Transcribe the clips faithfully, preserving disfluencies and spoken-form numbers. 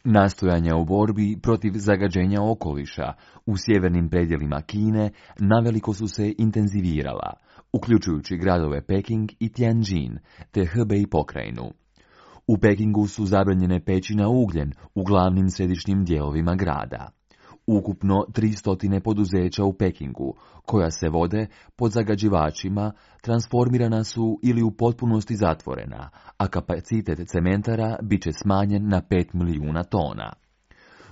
Nastojanja u borbi protiv zagađenja okoliša u sjevernim predjelima Kine naveliko su se intenzivirala, uključujući gradove Peking i Tianjin te Hebei pokrajinu. U Pekingu su zabranjene peći na ugljen u glavnim središnjim dijelovima grada. Ukupno tristo poduzeća u Pekingu, koja se vode pod zagađivačima, transformirana su ili u potpunosti zatvorena, a kapacitet cementara bit će smanjen na pet milijuna tona.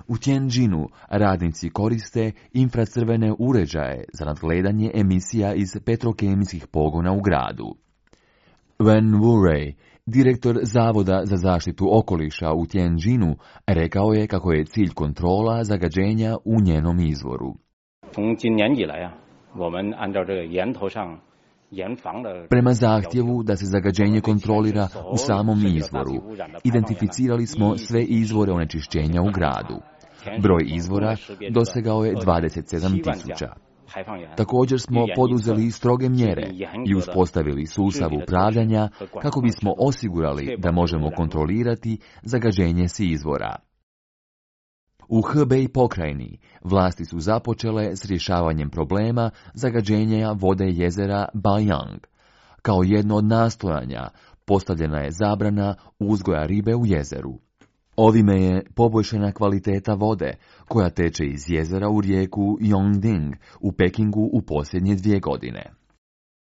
U Tianjinu radnici koriste infracrvene uređaje za nadgledanje emisija iz petrokemijskih pogona u gradu. Wen Wurei, direktor Zavoda za zaštitu okoliša u Tianjinu, rekao je kako je cilj kontrola zagađenja u njenom izvoru. Prema zahtjevu da se zagađenje kontrolira u samom izvoru, identificirali smo sve izvore onečišćenja u gradu. Broj izvora dosegao je dvadeset sedam tisuća. Također smo poduzeli stroge mjere i uspostavili sustav upravljanja kako bismo osigurali da možemo kontrolirati zagađenje s izvora. U Hebei pokrajini vlasti su započele s rješavanjem problema zagađenja vode jezera Baiyang. Kao jedno od nastojanja postavljena je zabrana uzgoja ribe u jezeru. Ovime je poboljšana kvaliteta vode koja teče iz jezera u rijeku Yongding u Pekingu u posljednje dvije godine.